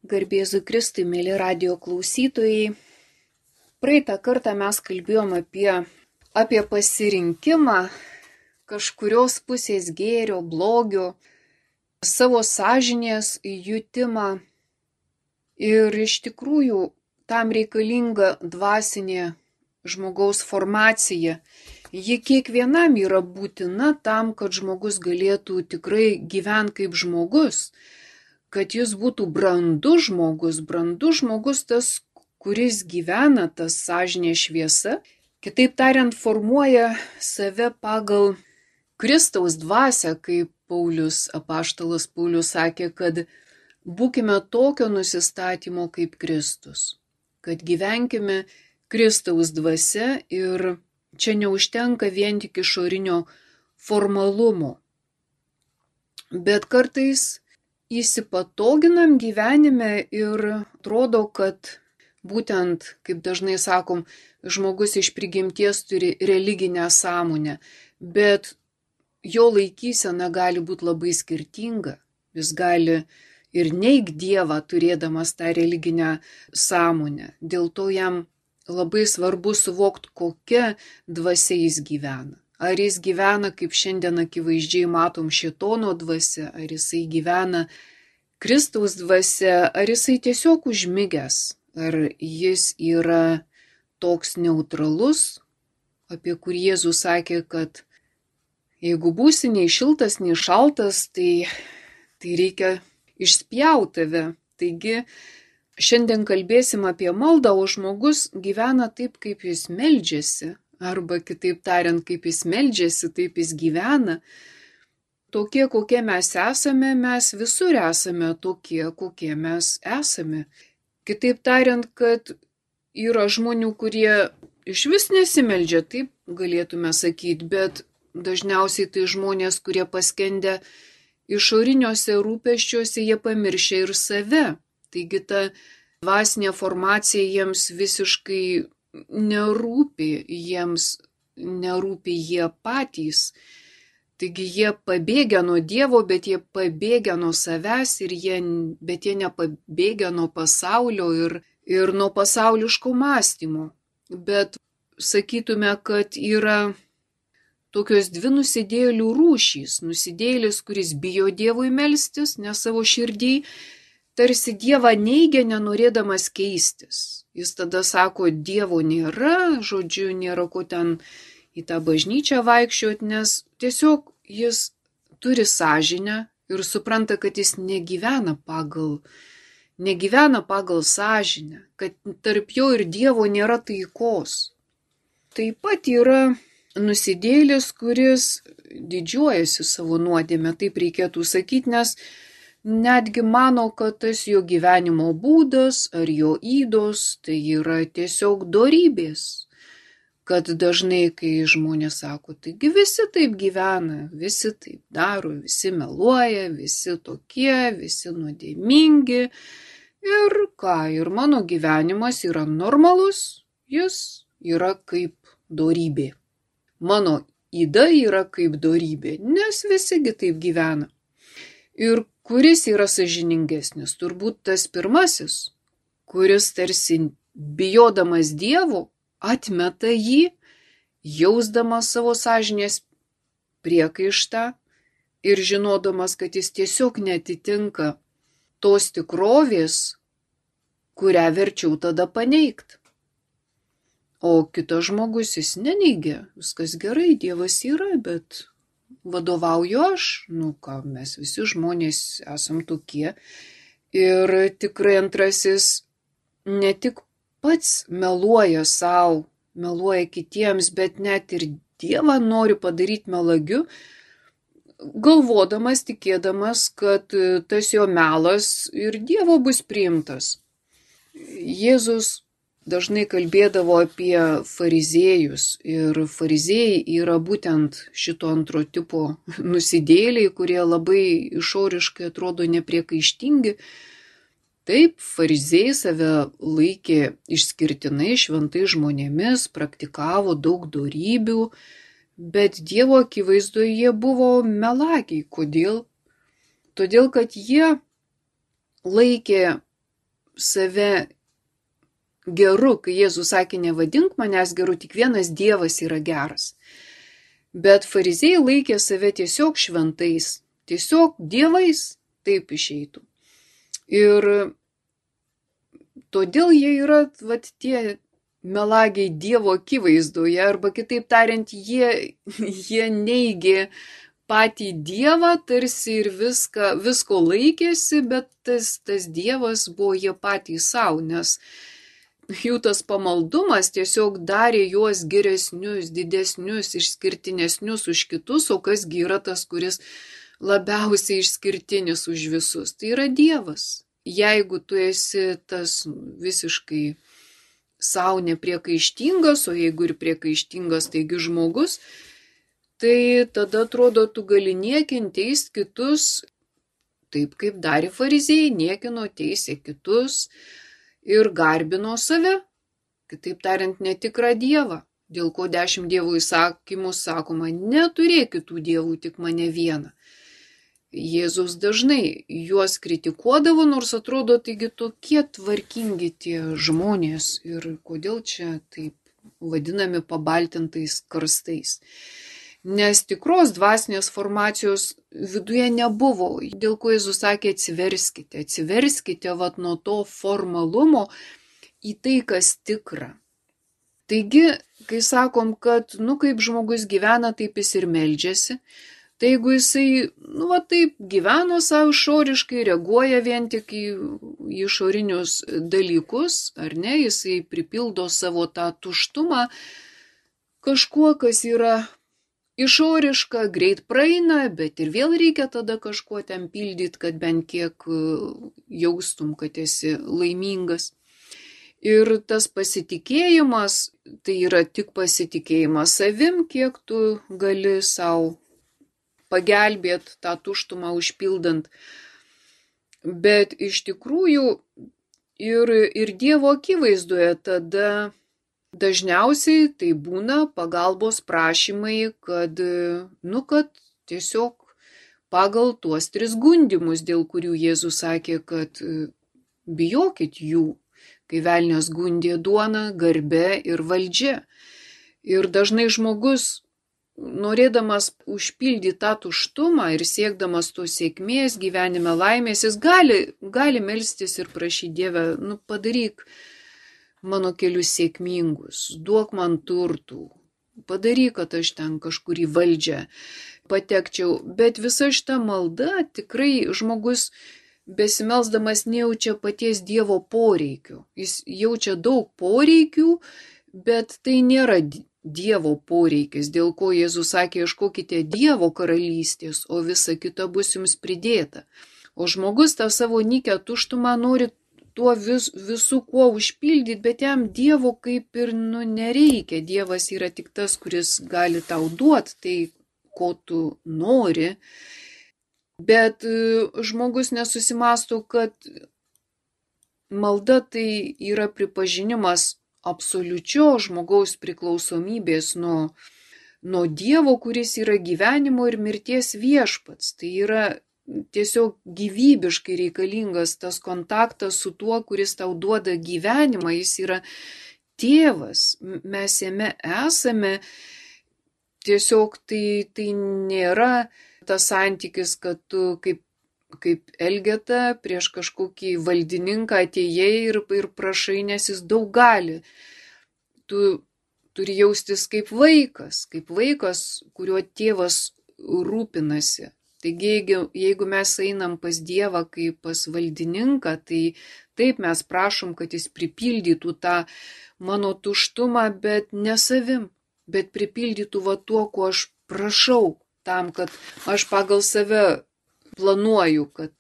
Garbėzui Kristui, mėly radijo klausytojai. Praeitą kartą mes kalbėjom apie pasirinkimą kažkurios pusės gėrio, blogio, savo sąžinės jutimą. Ir iš tikrųjų tam reikalinga dvasinė žmogaus formacija. Ji kiekvienam yra būtina tam, kad žmogus galėtų tikrai gyventi kaip žmogus. Kad jis būtų brandus žmogus tas, kuris gyvena, tas sąžinės šviesa, kitaip tariant, formuoja save pagal Kristaus dvasią, kaip apaštalas Paulius sakė, kad būkime tokio nusistatymo kaip Kristus, kad gyvenkime Kristaus dvasia ir čia neužtenka vien tik išorinio formalumo, bet kartais įsipatoginam gyvenime ir atrodo, kad būtent, kaip dažnai sakom, žmogus iš prigimties turi religinę sąmonę, bet jo laikysena gali būti labai skirtinga. Jis gali ir neigt Dievą, turėdamas tą religinę sąmonę. Dėl to jam labai svarbu suvokti, kokia dvasia jis gyvena. Ar jis gyvena, kaip šiandien akivaizdžiai matom, šėtono dvasia, ar jisai gyvena Kristaus dvasia, ar jisai tiesiog užmigęs, ar jis yra toks neutralus, apie kurį Jėzus sakė, kad jeigu būsi nei šiltas, nei šaltas, tai reikia išspjauti tave. Taigi šiandien kalbėsim apie maldą, o žmogus gyvena taip, kaip jis meldžiasi. Arba kitaip tariant, kaip jis meldžiasi, taip jis gyvena. Tokie, kokie mes esame, mes visur esame tokie, kokie mes esame. Kitaip tariant, kad yra žmonių, kurie iš vis nesimeldžia, taip galėtume sakyti, bet dažniausiai tai žmonės, kurie paskendę išoriniuose rūpesčiuose, jie pamiršia ir save. Taigi ta dvasinė formacija jiems visiškai nerūpi, jiems nerūpi jie patys. Taigi jie pabėgia nuo Dievo, bet jie pabėgia nuo savęs, bet jie nepabėgia nuo pasaulio ir nuo pasauliško mąstymo. Bet sakytume, kad yra tokios dvi nusidėjėlių rūšys. Nusidėjėlis, kuris bijo Dievui melstis, nes savo širdį tarsi Dievą neigia, nenorėdamas keistis. Jis tada sako, Dievo nėra, žodžiu, nėra ko ten į tą bažnyčią vaikščioti, nes tiesiog jis turi sąžinę ir supranta, kad jis negyvena pagal sąžinę, kad tarp jo ir Dievo nėra taikos. Taip pat yra nusidėjėlis, kuris didžiuojasi savo nuodėmę, taip reikėtų sakyti, nes netgi mano, kad tas jo gyvenimo būdas ar jo ydos tai yra tiesiog dorybės. Kad dažnai, kai žmonės sako, taigi visi taip gyvena, visi taip daro, visi meluoja, visi tokie, visi nuodėmingi. Ir ką, ir mano gyvenimas yra normalus, jis yra kaip dorybė. Mano yda yra kaip dorybė, nes visigi taip gyvena. Ir kuris yra sąžiningesnis? Turbūt tas pirmasis, kuris tarsi bijodamas Dievo atmeta jį, jausdamas savo sąžinės priekaištą ir žinodamas, kad jis tiesiog neatitinka tos tikrovės, kurią verčiau tada paneigt. O kitas žmogus jis neneigia, viskas gerai, Dievas yra, bet vadovauju aš, mes visi žmonės esam tokie. Ir tikrai antrasis ne tik pats meluoja savo, meluoja kitiems, bet net ir Dievą nori padaryti melagiu, galvodamas, tikėdamas, kad tas jo melas ir Dievo bus priimtas. Jėzus dažnai kalbėdavo apie fariziejus ir fariziejai yra būtent šito antro tipo nusidėjėliai, kurie labai išoriškai atrodo nepriekaištingi. Taip, fariziejai save laikė išskirtinai šventais žmonėmis, praktikavo daug dorybių, bet Dievo akivaizdoje jie buvo melagiai. Kodėl? Todėl, kad jie laikė save geru, kai Jėzus sakė, nevadink manęs geru, tik vienas Dievas yra geras. Bet fariziejai laikė save tiesiog šventais, tiesiog dievais, taip išeitų. Ir todėl jie yra tie melagiai Dievo akivaizdoje, arba kitaip tariant, jie neigė patį Dievą, tarsi ir visko laikėsi, bet tas Dievas buvo jie patys savo, nes jų tas pamaldumas tiesiog darė juos geresnius, didesnius, išskirtinesnius už kitus, o kasgi yra tas, kuris labiausiai išskirtinis už visus. Tai yra Dievas. Jeigu tu esi tas visiškai savo nepriekaištingas, o jeigu ir priekaištingas, taigi žmogus, tai tada atrodo, tu gali niekinti, teist kitus, taip kaip darė fariziejai, niekino, teisė kitus ir garbino save, kitaip tariant, netikrą Dievą, dėl ko 10 Dievo įsakymų sakoma, neturėk kitų dievų, tik mane vieną. Jėzus dažnai juos kritikuodavo, nors atrodo, taigi tokie tvarkingi tie žmonės ir kodėl čia taip vadinami pabaltintais karstais. Nes tikros dvasinės formacijos viduje nebuvo, dėl ko Jėzus sakė atsiverskite nuo to formalumo į tai, kas tikra. Taigi, kai sakom, kad kaip žmogus gyvena, taip jis ir meldžiasi, tai jeigu jisai, taip gyveno savo išoriškai, reaguoja vien tik į išorinius dalykus, ar ne, jisai pripildo savo tą tuštumą kažkuo, kas yra išoriška, greit praeina, bet ir vėl reikia tada kažkuo ten pildyti, kad bent kiek jaustum, kad esi laimingas. Ir tas pasitikėjimas, tai yra tik pasitikėjimas savim, kiek tu gali savo pagelbėti tą tuštumą užpildant. Bet iš tikrųjų ir Dievo akivaizdoje tada dažniausiai tai būna pagalbos prašymai, kad tiesiog pagal tuos 3 gundymus, dėl kurių Jėzus sakė, kad bijokit jų, kai velnias gundė duona, garbe ir valdžia. Ir dažnai žmogus, norėdamas užpildyti tą tuštumą ir siekdamas tos sėkmės, gyvenime laimės, jis gali melstis ir prašyti Dievę, padaryk mano kelius sėkmingus, duok man turtų, padaryk, kad aš ten kažkur į valdžią patekčiau. Bet visa šita malda tikrai žmogus besimelsdamas nejaučia paties Dievo poreikių. Jis jaučia daug poreikių, bet tai nėra Dievo poreikis, dėl ko Jėzus sakė, ieškokite Dievo karalystės, o visa kita bus jums pridėta. O žmogus tą savo nykią tuštumą nori tuo visų kuo užpildyti, bet jam Dievo kaip ir nereikia. Dievas yra tik tas, kuris gali tau duoti tai, ko tu nori. Bet žmogus nesusimąsto, kad malda tai yra pripažinimas absoliučios žmogaus priklausomybės nuo Dievo, kuris yra gyvenimo ir mirties viešpats. Tai yra tiesiog gyvybiškai reikalingas tas kontaktas su tuo, kuris tau duoda gyvenimą, jis yra tėvas, mes jame esame, tiesiog tai nėra tas santykis, kad tu kaip Elgeta prieš kažkokį valdininką atėjai ir prašai, nes jis daug gali. Tu turi jaustis kaip vaikas, kuriuo tėvas rūpinasi. Taigi, jeigu mes einam pas Dievą kaip pas valdininką, tai taip mes prašom, kad jis pripildytų tą mano tuštumą, bet ne savim, bet pripildytų tuo, ko aš prašau, tam, kad aš pagal save planuoju, kad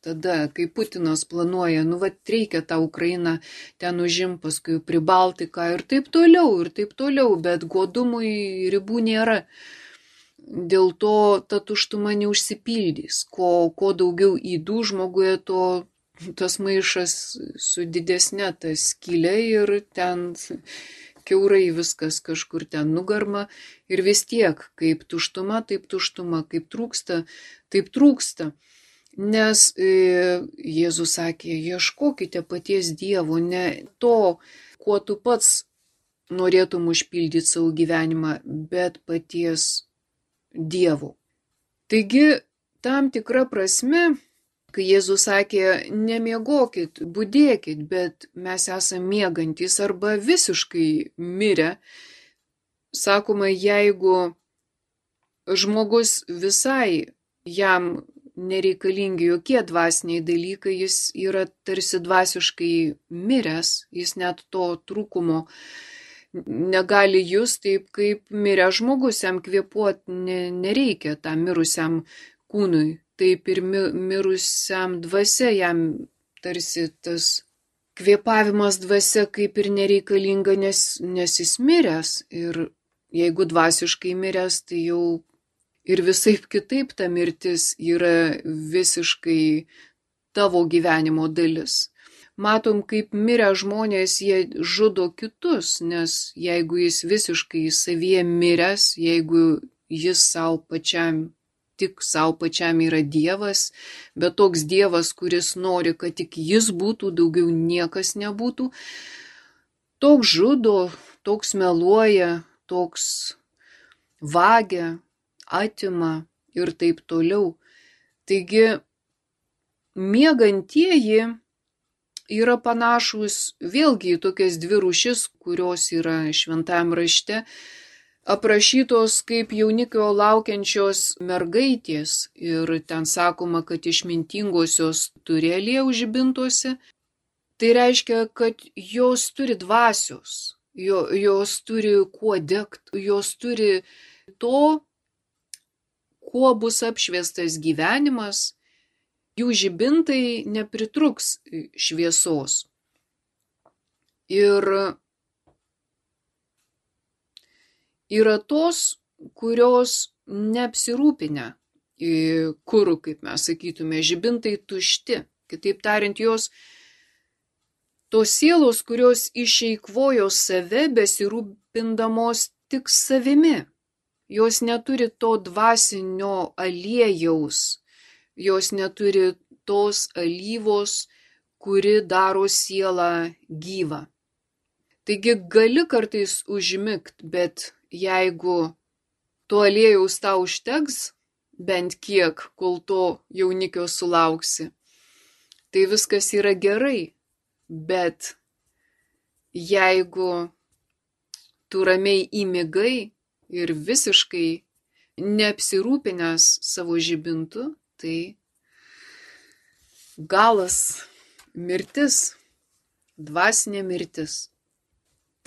tada, kai Putinas planuoja, reikia tą Ukrainą ten užimti, paskui Pribaltiką ir taip toliau, bet godumui ribų nėra. Dėl to ta tuštuma neužsipildys. Ko daugiau įdų žmoguje, tas maišas su didesne ta skylė ir ten kiaurai viskas kažkur ten nugarma. Ir vis tiek, kaip tuštuma, taip tuštuma, kaip trūksta, taip trūksta. Nes Jėzus sakė, ieškokite paties Dievo, ne to, kuo tu pats norėtum užpildyti savo gyvenimą, bet paties Dievo. Taigi, tam tikra prasme, kai Jėzus sakė, nemiegokit, budėkit, bet mes esame miegantys arba visiškai mirę, sakoma, jeigu žmogus visai jam nereikalingi jokie dvasiniai dalykai, jis yra tarsi dvasiškai miręs, jis net to trūkumo negali just, taip kaip miręs žmogus, jam kvėpuoti nereikia tam mirusiam kūnui, taip ir mirusiam dvasia, jam tarsi tas kvėpavimas dvasia kaip ir nereikalinga, nes jis miręs, ir jeigu dvasiškai miręs, tai jau ir visaip kitaip ta mirtis yra visiškai tavo gyvenimo dalis. Matom, kaip mirę žmonės, jie žudo kitus, nes jeigu jis visiškai savyje miręs, jeigu jis tik savo pačiam yra Dievas, bet toks Dievas, kuris nori, kad tik jis būtų, daugiau niekas nebūtų, toks žudo, toks meluoja, toks vagia, atima ir taip toliau. Taigi, miegantieji yra panašus vėlgi į tokias dvi rūšis, kurios yra šventajame rašte aprašytos kaip jaunikio laukiančios mergaitės. Ir ten sakoma, kad išmintingosios turi aliejų žibintuose. Tai reiškia, kad jos turi dvasios, jos turi kuo degti, jos turi to, kuo bus apšviestas gyvenimas, jų žibintai nepritruks šviesos. Ir yra tos, kurios neapsirūpinę kuru, kaip mes sakytume, žibintai tušti. Kitaip tariant, tos sielos, kurios išeikvojo save, besirūpindamos tik savimi. Jos neturi to dvasinio aliejaus, jos neturi tos alyvos, kuri daro sielą gyvą. Taigi gali kartais užmigt, bet jeigu to aliejaus tau užteks, bent kiek, kol to jaunikio sulauksi, tai viskas yra gerai. Bet jeigu tu ramiai įmigai ir visiškai neapsirūpinęs savo žibintu, tai galas, mirtis, dvasinė mirtis.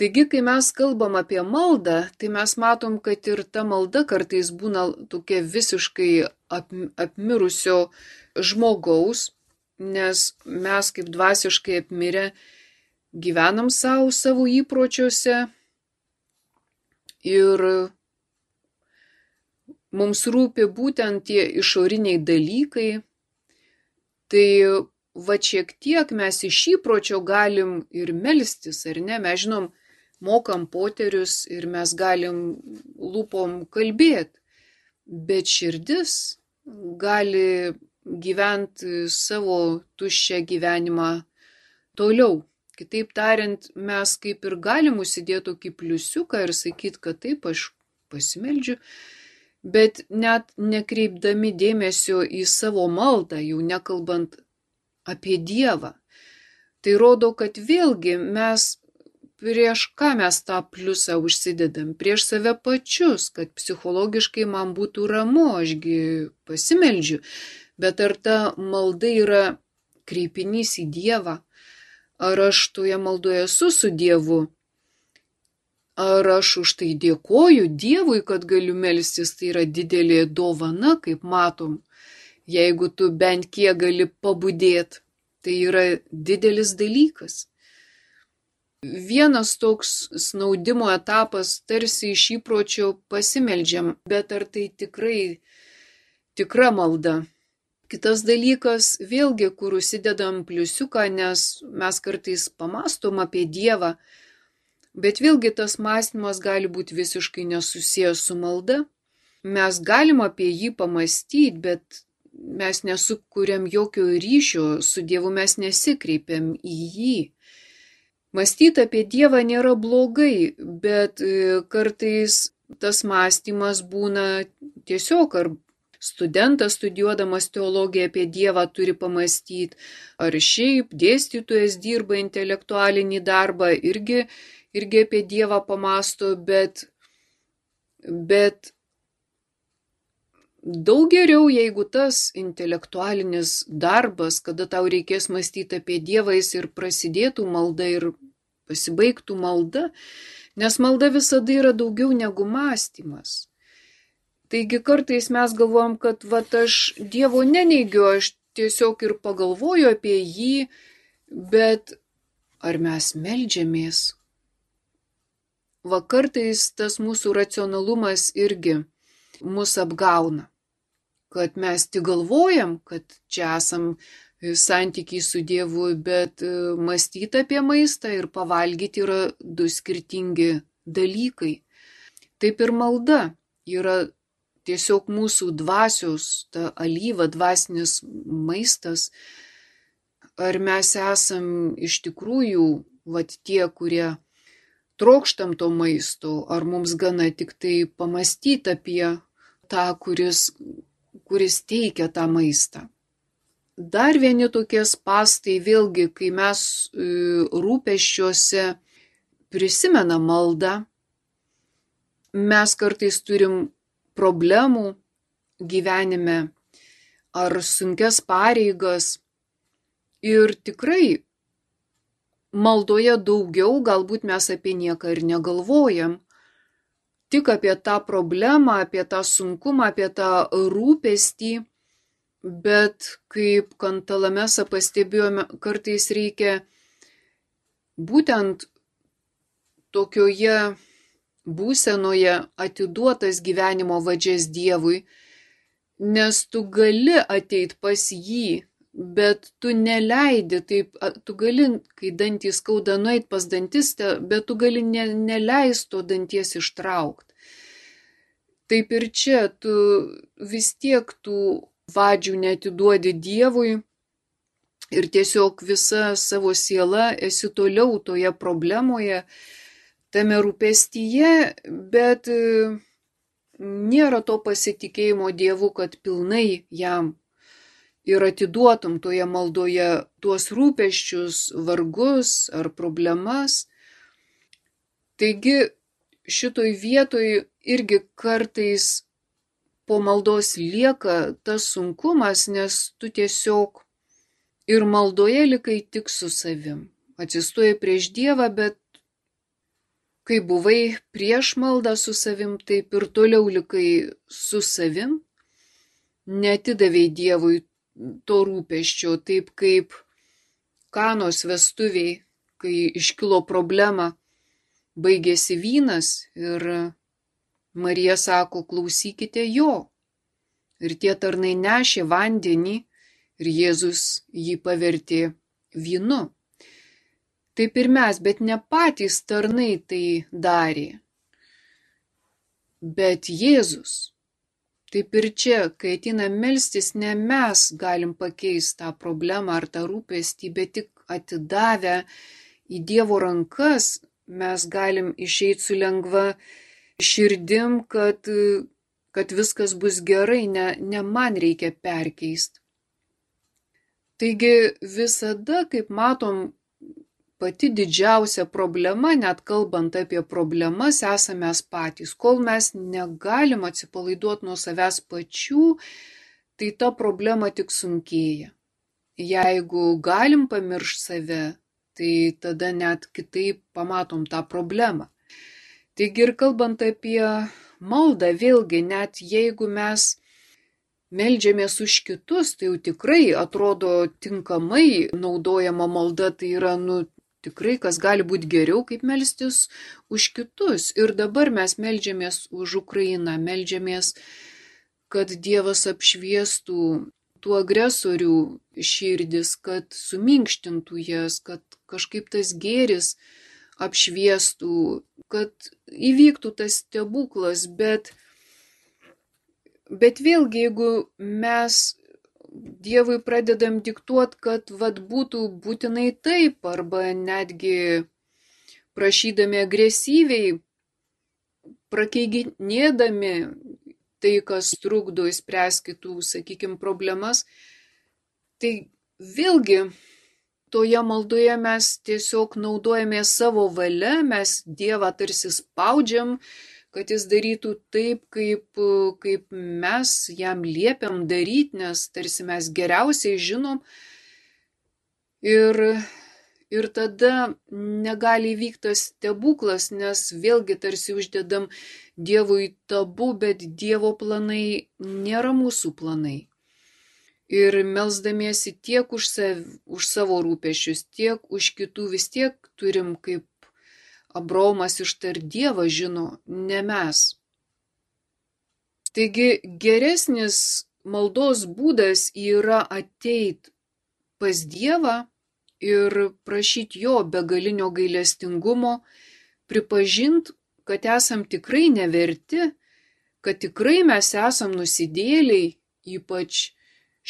Taigi, kai mes kalbam apie maldą, tai mes matom, kad ir ta malda kartais būna tokia visiškai apmirusio žmogaus, nes mes kaip dvasiškai apmirę gyvenam savo įpročiuose ir mums rūpi būtent tie išoriniai dalykai. Tai va šiek tiek mes iš įpročio galim ir melstis, ar ne? Mes žinom, mokam poterius ir mes galim lūpom kalbėti, bet širdis gali gyventi savo tuščią gyvenimą toliau. Kitaip tariant, mes kaip ir galim užsidėti tokį pliusiuką ir sakyti, kad taip, aš pasimeldžiu, bet net nekreipdami dėmesio į savo maldą, jau nekalbant apie Dievą. Tai rodo, kad vėlgi mes prieš ką mes tą pliusą užsidedam? Prieš save pačius, kad psichologiškai man būtų ramu, ašgi pasimeldžiu. Bet ar ta malda yra kreipinys į Dievą? Ar aš toje maldoje esu su Dievu? Ar aš už tai dėkoju Dievui, kad galiu melstis? Tai yra didelė dovana, kaip matom. Jeigu tu bent kiek gali pabudėti, tai yra didelis dalykas. Vienas toks snaudimo etapas, tarsi iš įpročio pasimeldžiam, bet ar tai tikra malda? Kitas dalykas, vėlgi, kur užsidedam pliusiuką, nes mes kartais pamastom apie Dievą, bet vėlgi tas mąstymas gali būti visiškai nesusijęs su malda. Mes galim apie jį pamastyti, bet mes nesukuriam jokio ryšio su Dievu, mes nesikreipiam į jį. Mąstyti apie Dievą nėra blogai, bet kartais tas mąstymas būna tiesiog, ar studentas studijuodamas teologiją apie Dievą turi pamastyti, ar šiaip dėstytojas dirba intelektualinį darbą, irgi apie Dievą pamasto, bet daug geriau, jeigu tas intelektualinis darbas, kada tau reikės mąstyti apie Dievą, jis ir prasidėtų malda ir pasibaigtų malda, nes malda visada yra daugiau negu mąstymas. Taigi kartais mes galvojam, kad aš Dievo neneigiu, aš tiesiog ir pagalvoju apie jį, bet ar mes meldžiamės? Kartais tas mūsų racionalumas irgi mus apgauna, kad mes tik galvojam, kad čia esam santykiai su Dievu, bet mąstyti apie maistą ir pavalgyti yra du skirtingi dalykai. Taip ir malda yra tiesiog mūsų dvasios, ta alyva, dvasinis maistas. Ar mes esam iš tikrųjų tie, kurie trokštam to maisto, ar mums gana tik tai pamastyti apie tą, kuris teikia tą maistą. Dar vieni tokie spąstai, vėlgi, kai mes rūpesčiuose prisimenam maldą, mes kartais turim problemų gyvenime ar sunkias pareigas ir tikrai maldoje daugiau, galbūt mes apie nieką ir negalvojam, tik apie tą problemą, apie tą sunkumą, apie tą rūpestį, bet kaip Kantalamesa pastebėjome, kartais reikia būtent tokioje būsenoje atiduotas gyvenimo vadžias Dievui, nes tu gali ateit pas jį, bet tu neleidi, taip, tu gali, kai dantys skauda, nueit pas dantistę, bet tu gali neleisti to danties ištraukti. Taip ir čia, tu vis tiek tų vadžių neatiduodi Dievui ir tiesiog visa savo siela esi toliau toje problemoje, tame rūpestyje, bet nėra to pasitikėjimo Dievu, kad pilnai jam ir atiduotum toje maldoje tuos rūpesčius, vargus ar problemas. Taigi šitoj vietoj irgi kartais po maldos lieka tas sunkumas, nes tu tiesiog ir maldoje likai tik su savim. Atsistoji prieš Dievą, bet kai buvai prieš maldą su savim, taip ir toliau likai su savim, neatidavei Dievui to rūpesčio, taip kaip Kanos vestuviai, kai iškilo problema, baigėsi vynas ir Marija sako, klausykite jo. Ir tie tarnai nešė vandenį ir Jėzus jį pavertė vynu. Taip ir mes, bet ne patys tarnai tai darė, bet Jėzus. Taip ir čia, kai ateina melstis, ne mes galim pakeisti tą problemą ar tą rūpestį, bet tik atidavę į Dievo rankas mes galim išeiti su lengva širdim, kad viskas bus gerai, ne man reikia perkeisti. Taigi visada, kaip matom, pati didžiausia problema, net kalbant apie problemas, esame mes patys. Kol mes negalim atsipalaiduoti nuo savęs pačių, tai ta problema tik sunkėja. Jeigu galim pamiršti save, tai tada net kitaip pamatom tą problemą. Taigi ir kalbant apie maldą, vėlgi, net jeigu mes meldžiamės už kitus, tai jau tikrai atrodo tinkamai naudojama malda, tai yra, tikrai, kas gali būti geriau, kaip melstis už kitus. Ir dabar mes meldžiamės už Ukrainą, meldžiamės, kad Dievas apšviestų tų agresorių širdis, kad suminkštintų jas, kad kažkaip tas gėris apšviestų, kad įvyktų tas stebuklas, bet vėlgi, jeigu mes Dievui pradedam diktuoti, kad būtų būtinai taip, arba netgi prašydami agresyviai, prakeiginėdami tai, kas trukdo išspręsti kitų, sakykime, problemas. Tai vėlgi toje maldoje mes tiesiog naudojame savo valią, mes Dievą tarsi spaudžiam, kad jis darytų taip, kaip mes jam liepiam daryti, nes tarsi mes geriausiai žinom. Ir tada negali įvykti tas stebuklas, nes vėlgi tarsi uždedam Dievui tabu, bet Dievo planai nėra mūsų planai. Ir melsdamiesi tiek už savo rūpesčius, tiek už kitų, vis tiek turim, kaip Abraomas ištart, Dievą žino, ne mes. Taigi geresnis maldos būdas yra ateit pas Dievą ir prašyti jo begalinio gailestingumo, pripažinti, kad esam tikrai neverti, kad tikrai mes esam nusidėliai, ypač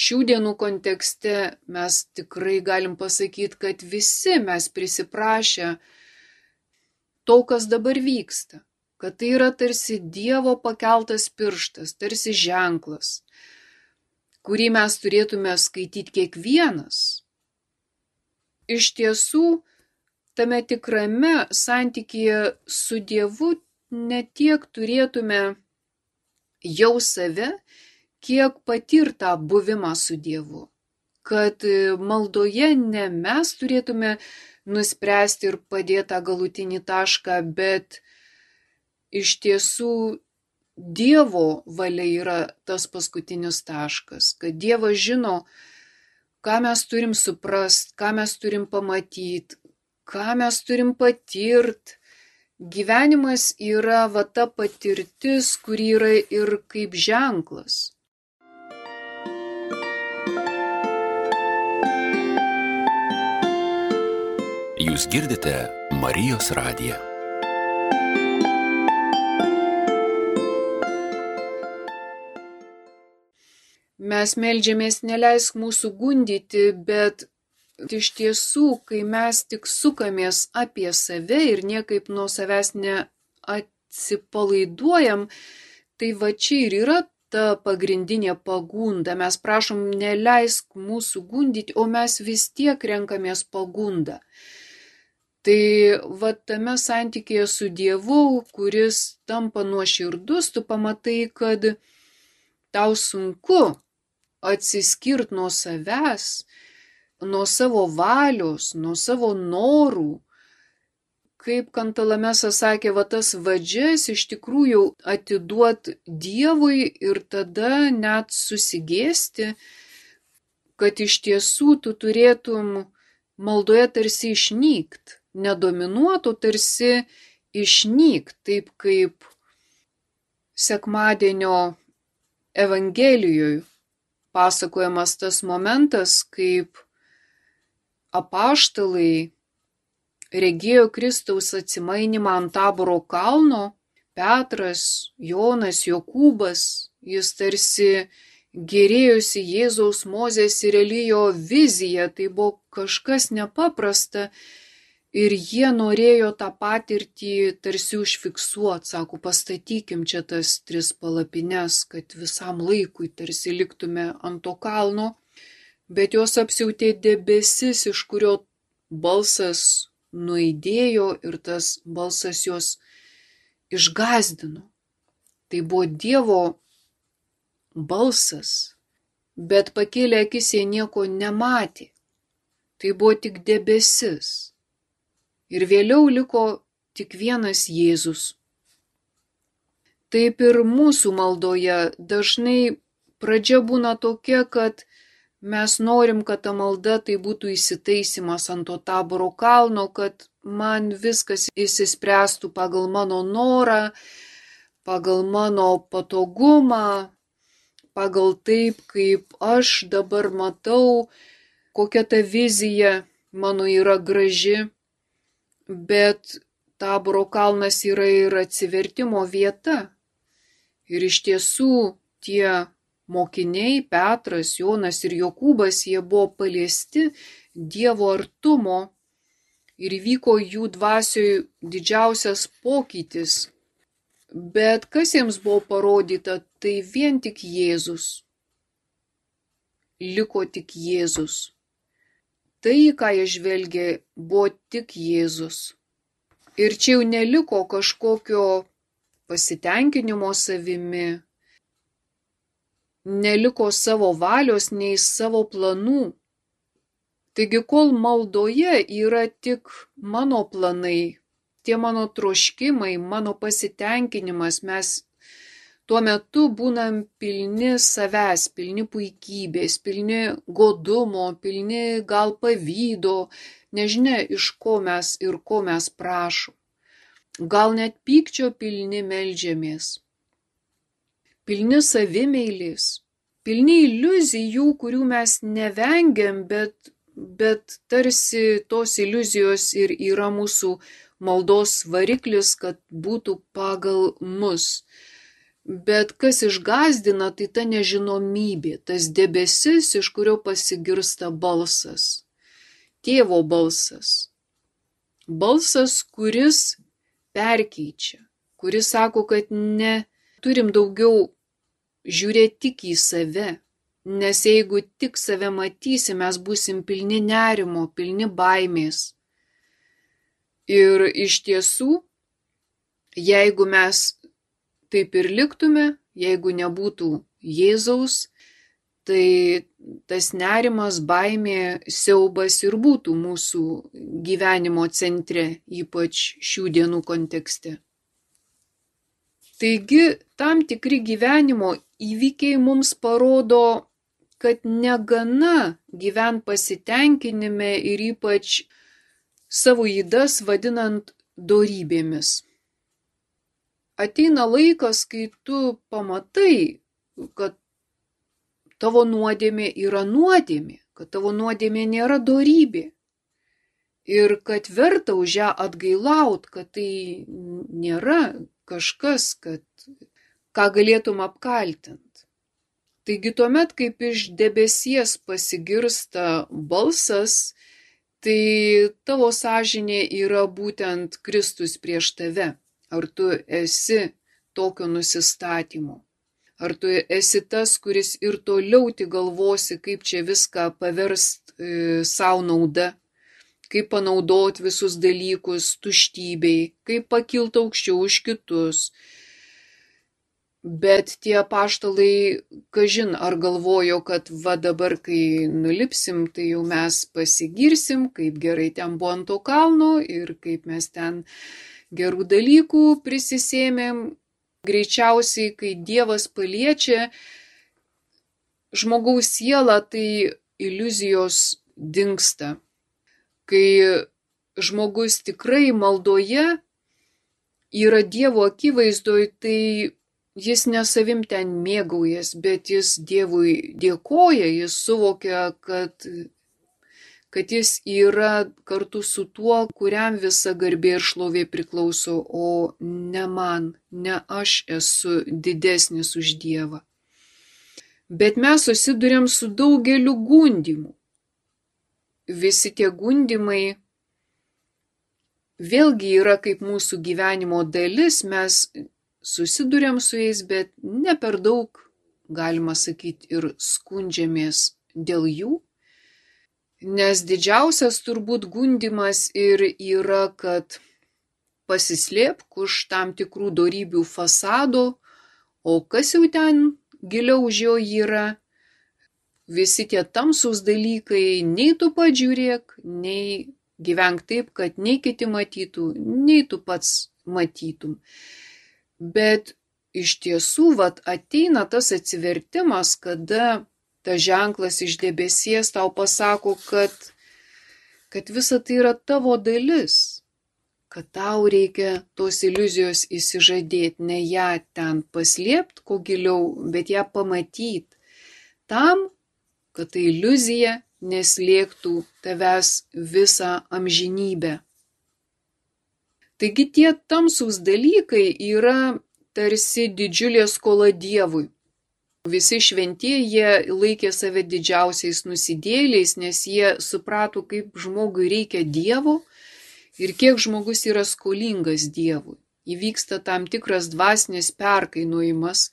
šių dienų kontekste mes tikrai galim pasakyti, kad visi mes prisiprašę to, kas dabar vyksta, kad tai yra tarsi Dievo pakeltas pirštas, tarsi ženklas, kurį mes turėtume skaityti kiekvienas. Iš tiesų, tame tikrame santykyje su Dievu ne tiek turėtume jau save, kiek patirtą buvimą su Dievu. Kad maldoje ne mes turėtume nuspręsti ir padėti tą galutinį tašką, bet iš tiesų Dievo valia yra tas paskutinis taškas, kad Dievas žino, ką mes turim suprast, ką mes turim pamatyti, ką mes turim patirt. Gyvenimas yra ta patirtis, kuri yra ir kaip ženklas. Jūs girdite Marijos radiją. Mes meldžiamės, neleisk mūsų gundyti, bet iš tiesų, kai mes tik sukamės apie save ir niekaip nuo savęs neatsipalaiduojam, tai čia ir yra ta pagrindinė pagunda. Mes prašom, neleisk mūsų gundyti, o mes vis tiek renkamės pagundą. Tai tame santykėje su Dievu, kuris tampa nuoširdus, tu pamatai, kad tau sunku atsiskirt nuo savęs, nuo savo valios, nuo savo norų. Kaip Kantalamesas sakė, tas vadžias iš tikrųjų atiduot Dievui ir tada net susigėsti, kad iš tiesų tu turėtum maldoje tarsi išnykt, nedominuotų tarsi išnykt, taip kaip sekmadienio Evangelijoje pasakojamas tas momentas, kaip apaštalai regėjo Kristaus atsimainimą ant Taboro kalno, Petras, Jonas, Jokūbas, jis tarsi gėrėjosi Jėzaus, Mozės ir Elijo viziją, tai buvo kažkas nepaprasta ir jie norėjo tą patirtį tarsi užfiksuoti, sako, pastatykim čia tas 3 palapines, kad visam laikui tarsi liktume ant to kalno, bet jos apsiautė debesis, iš kurio balsas nuaidėjo ir tas balsas jos išgąsdino. Tai buvo Dievo balsas, bet pakėlę akis jie nieko nematė. Tai buvo tik debesis. Ir vėliau liko tik vienas Jėzus. Taip ir mūsų maldoje dažnai pradžia būna tokia, kad mes norim, kad ta malda tai būtų įsitaisimas ant to Taboro kalno, kad man viskas išsispręstų pagal mano norą, pagal mano patogumą, pagal taip, kaip aš dabar matau, kokia ta vizija mano yra graži. Bet Taboro kalnas yra ir atsivertimo vieta. Ir iš tiesų tie mokiniai Petras, Jonas ir Jokūbas, jie buvo paliesti Dievo artumo ir vyko jų dvasioje didžiausias pokytis. Bet kas jiems buvo parodyta, tai vien tik Jėzus. Liko tik Jėzus. Tai, ką jie žvelgė, buvo tik Jėzus. Ir čia jau neliko kažkokio pasitenkinimo savimi, neliko savo valios nei savo planų. Taigi, kol maldoje yra tik mano planai, tie mano troškimai, mano pasitenkinimas, mes tuo metu būnam pilni savęs, pilni puikybės, pilni godumo, pilni gal pavydo, nežinia iš ko mes ir ko mes prašom. Gal net pykčio pilni meldžiamės. Pilni savimeilės, pilni iliuzijų, kurių mes nevengiam, bet tarsi tos iliuzijos ir yra mūsų maldos variklis, kad būtų pagal mus. Bet kas išgąsdina, tai ta nežinomybė, tas debesis, iš kurio pasigirsta balsas. Tėvo balsas. Balsas, kuris perkeičia, kuris sako, kad turim daugiau žiūrėti tik į save, nes jeigu tik save matysim, mes būsim pilni nerimo, pilni baimės. Ir iš tiesų, jeigu mes taip ir liktume, jeigu nebūtų Jėzaus, tai tas nerimas, baimė, siaubas ir būtų mūsų gyvenimo centre, ypač šių dienų kontekste. Taigi, tam tikri gyvenimo įvykiai mums parodo, kad negana gyvent pasitenkinime ir ypač savo ydas vadinant dorybėmis. Ateina laikas, kai tu pamatai, kad tavo nuodėmė yra nuodėmė, kad tavo nuodėmė nėra dorybė. Ir kad verta už ją atgailaut, kad tai nėra kažkas, ką galėtum apkaltint. Taigi tuomet, kaip iš debesies pasigirsta balsas, tai tavo sąžinė yra būtent Kristus prieš tave. Ar tu esi tokio nusistatymo? Ar tu esi tas, kuris ir toliau tik galvosi, kaip čia viską paverst savo nauda, kaip panaudot visus dalykus tuštybei, kaip pakilt aukščiau už kitus. Bet tie apaštalai, kažin, ar galvojo, kad va dabar, kai nulipsim, tai jau mes pasigirsim, kaip gerai ten buvo ant to kalno ir kaip mes ten gerų dalykų prisisėmėm. Greičiausiai, kai Dievas paliečia žmogaus sielą, tai iliuzijos dingsta. Kai žmogus tikrai maldoje yra Dievo akivaizdoj, tai jis ne savim ten mėgaujas, bet jis Dievui dėkoja, jis suvokia, kad jis yra kartu su tuo, kuriam visa garbė ir šlovė priklauso, o ne man, ne aš esu didesnis už Dievą. Bet mes susiduriam su daugeliu gundymų. Visi tie gundymai vėlgi yra kaip mūsų gyvenimo dalis, mes susiduriam su jais, bet ne per daug, galima sakyti, ir skundžiamės dėl jų. Nes didžiausias turbūt gundymas ir yra, kad pasislėpk už tam tikrų dorybių fasado, o kas jau ten giliau už jo yra, visi tie tamsūs dalykai, nei tu pats žiūrėk, nei gyvenk taip, kad nei kiti matytų, nei tu pats matytum. Bet iš tiesų, ateina tas atsivertimas, kada tas ženklas iš debesies tau pasako, kad visa tai yra tavo dalis, kad tau reikia tos iliuzijos įsižadėti, ne ją ten paslėpti, ko giliau, bet ją pamatyti, tam, kad ta iliuzija neslėgtų tavęs visą amžinybę. Taigi tie tamsūs dalykai yra tarsi didžiulė skola Dievui. Visi šventieji jie laikė save didžiausiais nusidėjėliais, nes jie suprato, kaip žmogui reikia Dievo ir kiek žmogus yra skolingas Dievui. Įvyksta tam tikras dvasinis perkainojimas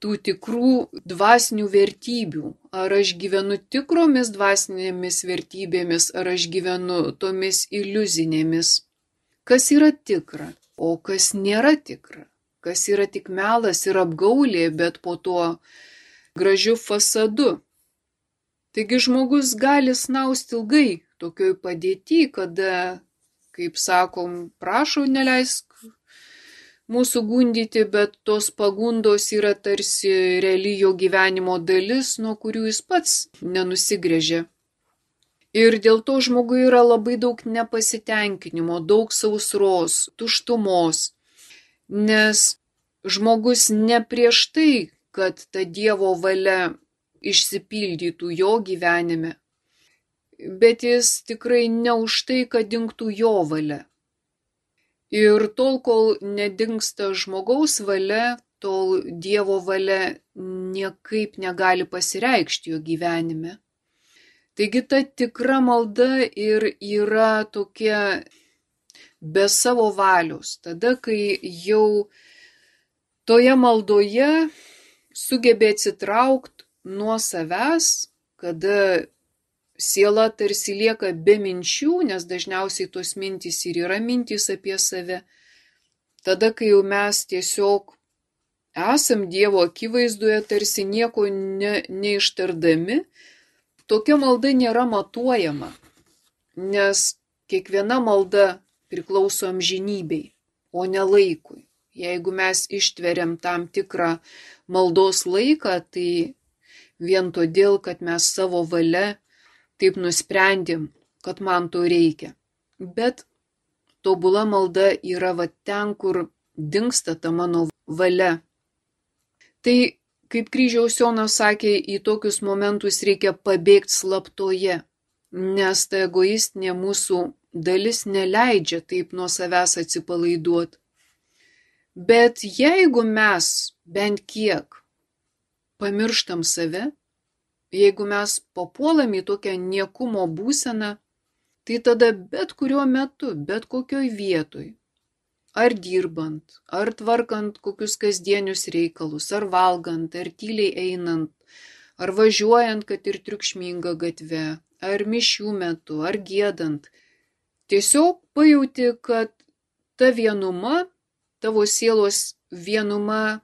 tų tikrų dvasinių vertybių. Ar aš gyvenu tikromis dvasinėmis vertybėmis, ar aš gyvenu tomis iliuzinėmis. Kas yra tikra, o kas nėra tikra. Kas yra tik melas ir apgaulė, bet po tuo gražiu fasadu. Taigi žmogus gali snausti ilgai tokioj padėty, kada, kaip sakom, prašau neleisk mūsų gundyti, bet tos pagundos yra tarsi reali jo gyvenimo dalis, nuo kurių jis pats nenusigręžia. Ir dėl to žmogui yra labai daug nepasitenkinimo, daug sausros, tuštumos. Nes žmogus ne prieš tai, kad ta Dievo valia išsipildytų jo gyvenime, bet jis tikrai ne už tai, kad dingtų jo valia. Ir tol, kol nedingsta žmogaus valia, tol Dievo valia niekaip negali pasireikšti jo gyvenime. Taigi ta tikra malda ir yra tokia be savo valios, tada, kai jau toje maldoje sugebė atsitraukti nuo savęs, kada siela tarsi lieka be minčių, nes dažniausiai tos mintys ir yra mintys apie save, tada, kai jau mes tiesiog esam Dievo akivaizdoje, tarsi nieko neištardami, tokia malda nėra matuojama, nes kiekviena malda priklauso amžinybei, o ne laikui. Jeigu mes ištveriam tam tikrą maldos laiką, tai vien todėl, kad mes savo valia taip nusprendėm, kad man to reikia. Bet tobula malda yra va ten, kur dingsta ta mano valia. Tai, kaip Kryžiaus Jonas sakė, į tokius momentus reikia pabėgti slaptoje, nes ta egoistinė mūsų dalis neleidžia taip nuo savęs atsipalaiduoti. Bet jeigu mes bent kiek pamirštam save, jeigu mes papuolam į tokią niekumo būseną, tai tada bet kuriuo metu, bet kokioj vietoj, ar dirbant, ar tvarkant kokius kasdienius reikalus, ar valgant, ar tyliai einant, ar važiuojant, kad ir triukšminga gatve, ar mišių metu, ar giedant, tiesiog pajauti, kad ta vienuma, tavo sielos vienuma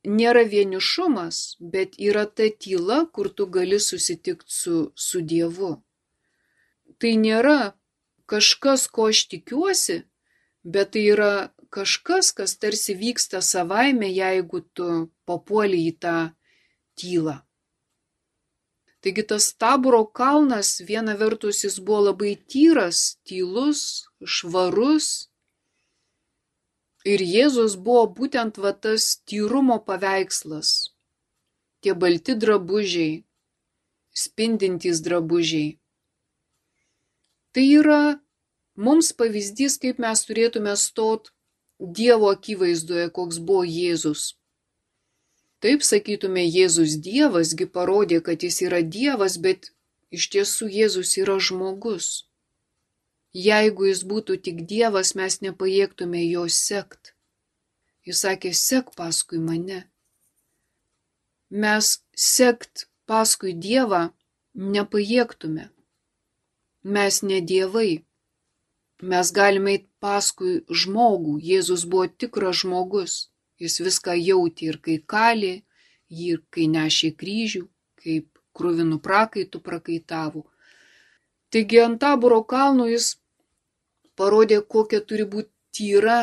nėra vienišumas, bet yra ta tyla, kur tu gali susitikti su Dievu. Tai nėra kažkas, ko aš tikiuosi, bet tai yra kažkas, kas tarsi vyksta savaime, jeigu tu papuoli į tą tylą. Taigi tas Taboro kalnas, viena vertus jis buvo labai tyras, tylus, švarus. Ir Jėzus buvo būtent va tas tyrumo paveikslas. Tie balti drabužiai, spindintys drabužiai. Tai yra mums pavyzdys, kaip mes turėtume stot Dievo akivaizdoje, koks buvo Jėzus. Taip sakytume, Jėzus Dievas, gi parodė, kad jis yra Dievas, bet iš tiesų Jėzus yra žmogus. Jeigu jis būtų tik Dievas, mes nepajėgtume jo sekt. Jis sakė, sek paskui mane. Mes sekt paskui Dievą nepajėgtume. Mes ne dievai. Mes galime eiti paskui žmogų. Jėzus buvo tikras žmogus. Jis viską jautė ir kai kalė, jį ir kai nešė kryžių, kaip kruvinų prakaitų prakaitavo. Taigi ant Taboro kalno jis parodė, kokia turi būti tyra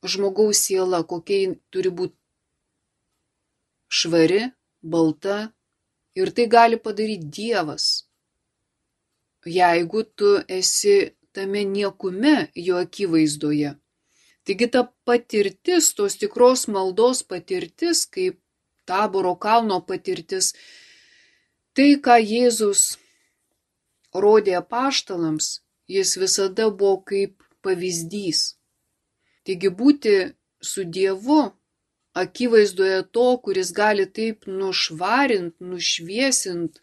žmogaus siela, kokia turi būti švari, balta, ir tai gali padaryti Dievas. Jeigu tu esi tame niekume jo akivaizdoje. Taigi ta patirtis, tos tikros maldos patirtis, kaip Taboro kalno patirtis, tai, ką Jėzus rodė apaštalams, jis visada buvo kaip pavyzdys. Taigi būti su Dievu akivaizdoje to, kuris gali taip nušvarint, nušviesint,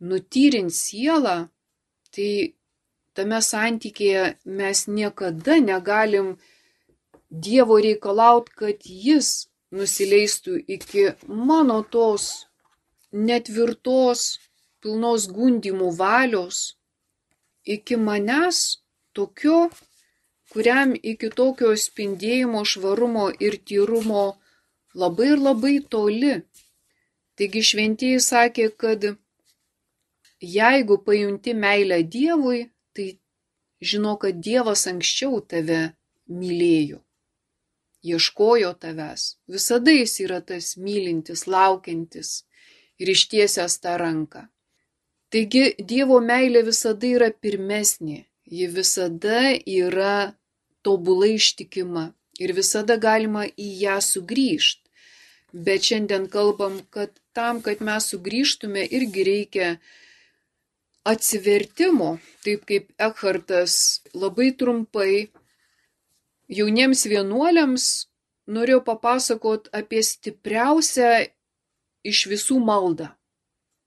nutyrint sielą, tai tame santykėje mes niekada negalim Dievo reikalauti, kad jis nusileistų iki mano tos netvirtos, pilnos gundymų valios, iki manęs tokio, kuriam iki tokio spindėjimo, švarumo ir tyrumo labai ir labai toli. Taigi šventieji sakė, kad jeigu pajunti meilę Dievui, tai žino, kad Dievas anksčiau tave mylėjo, ieškojo tavęs. Visada jis yra tas mylintis, laukiantis ir ištiesęs tą ranką. Taigi Dievo meilė visada yra pirmesnė, ji visada yra tobulai ištikima ir visada galima į ją sugrįžti. Bet šiandien kalbam, kad tam, kad mes sugrįžtume, irgi reikia atsivertimo, taip kaip Ekhartas labai trumpai jauniems vienuoliams norėjau papasakot apie stipriausią iš visų maldą.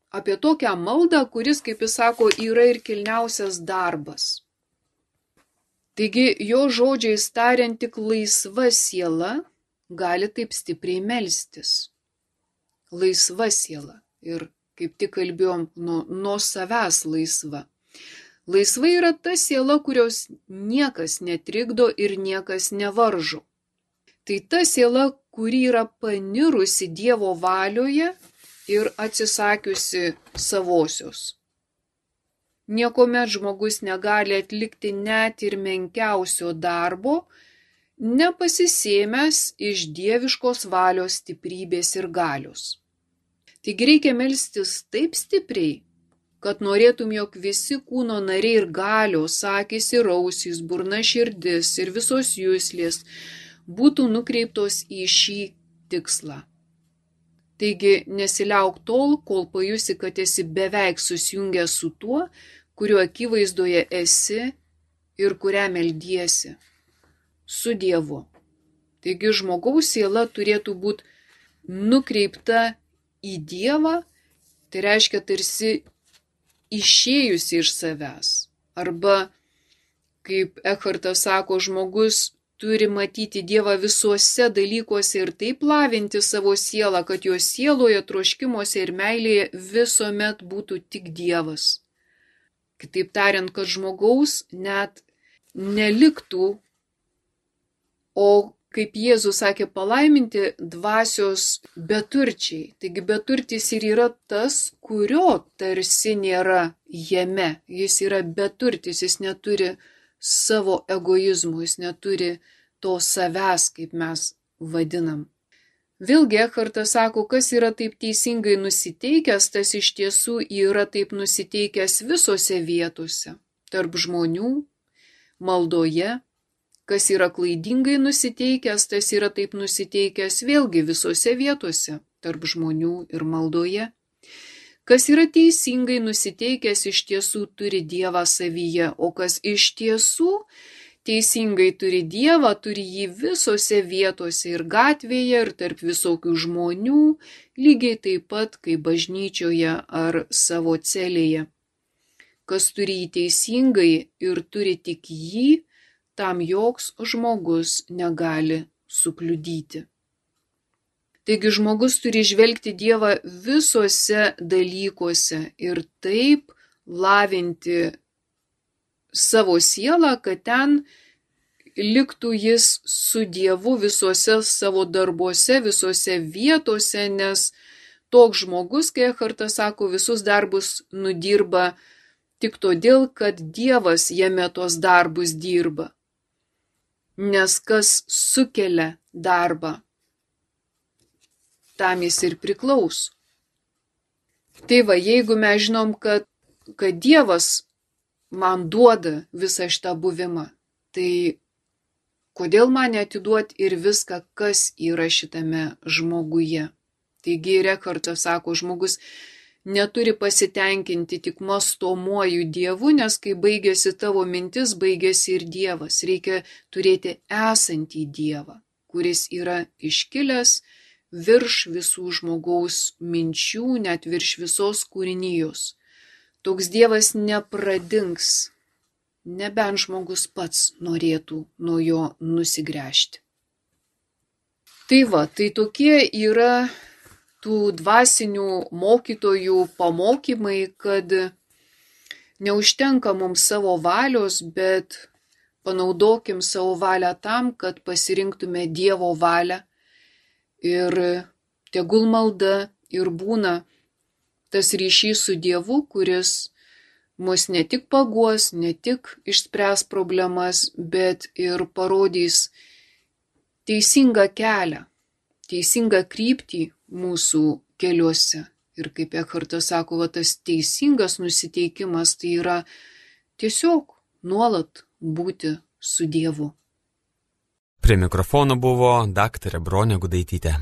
Apie tokią maldą, kuris, kaip jis sako, yra ir kilniausias darbas. Taigi, jo žodžiais tariant, tik laisva siela gali taip stipriai melstis. Laisva siela. Ir kaip tik kalbėjom, nuo savęs laisva. Laisva yra ta siela, kurios niekas netrikdo ir niekas nevaržo. Tai ta siela, kuri yra panirusi Dievo valioje ir atsisakiusi savosios. Niekuomet žmogus negali atlikti net ir menkiausio darbo, nepasisėmęs iš dieviškos valios stiprybės ir galios. Taigi reikia melstis taip stipriai, kad norėtum, jog visi kūno nariai ir galios, akys ir ausys, burna, širdis ir visos juslės būtų nukreiptos į šį tikslą. Taigi nesiliauk tol, kol pajusi, kad esi beveik susijungęs su tuo, kuriuo akivaizdoje esi ir kurią meldiesi, su Dievu. Taigi žmogaus siela turėtų būti nukreipta į Dievą, tai reiškia tarsi išėjusi iš savęs. Arba, kaip Ekhartas sako, žmogus turi matyti Dievą visuose dalykuose ir taip lavinti savo sielą, kad jo sieloje, troškimuose ir meilėje visuomet būtų tik Dievas. Kitaip tariant, kad žmogaus net neliktų, o kaip Jėzus sakė, palaiminti dvasios beturčiai. Taigi beturtis ir yra tas, kurio tarsi nėra jame. Jis yra beturtis, jis neturi savo egoizmų, jis neturi to savęs, kaip mes vadinam. Vėlgi Ekhartas sako, kas yra taip teisingai nusiteikęs, tas iš tiesų yra taip nusiteikęs visose vietose, tarp žmonių, maldoje. Kas yra klaidingai nusiteikęs, tas yra taip nusiteikęs vėlgi visose vietose, tarp žmonių ir maldoje. Kas yra teisingai nusiteikęs, iš tiesų turi Dievą savyje, o kas iš tiesų teisingai turi Dievą, turi jį visose vietose ir gatvėje, ir tarp visokių žmonių, lygiai taip pat kaip bažnyčioje ar savo celėje. Kas turi jį teisingai ir turi tik jį, tam joks žmogus negali sukliudyti. Taigi žmogus turi žvelgti Dievą visuose dalykuose ir taip lavinti savo sielą, kad ten liktų jis su Dievu visuose savo darbuose, visuose vietose, nes toks žmogus, kai Ekhartas sako, visus darbus nudirba tik todėl, kad Dievas jame tos darbus dirba. Nes kas sukelia darbą, tam jis ir priklauso. Tai va, jeigu mes žinom, kad Dievas man duoda visą šitą buvimą, tai kodėl man neatiduoti ir viską, kas yra šitame žmoguje? Taigi Ekhartas sako, žmogus neturi pasitenkinti tik mąstomuoju Dievu, nes kai baigėsi tavo mintis, baigėsi ir Dievas. Reikia turėti esantį Dievą. kuris yra iškilęs virš visų žmogaus minčių, net virš visos kūrinijos. Toks Dievas nepradings, nebent žmogus pats norėtų nuo jo nusigręžti. Tai va, tai tokie yra tų dvasinių mokytojų pamokymai, kad neužtenka mums savo valios, bet panaudokim savo valią tam, kad pasirinktume Dievo valią. Ir tegul malda ir būna tas ryšys su Dievu, kuris mus ne tik paguos, ne tik išspręs problemas, bet ir parodys teisingą kelią, teisingą kryptį mūsų keliuose. Ir kaip Ekhartas sako, tas teisingas nusiteikimas tai yra tiesiog nuolat būti su Dievu. Prie mikrofono buvo daktarė Bronė Gudaitytė.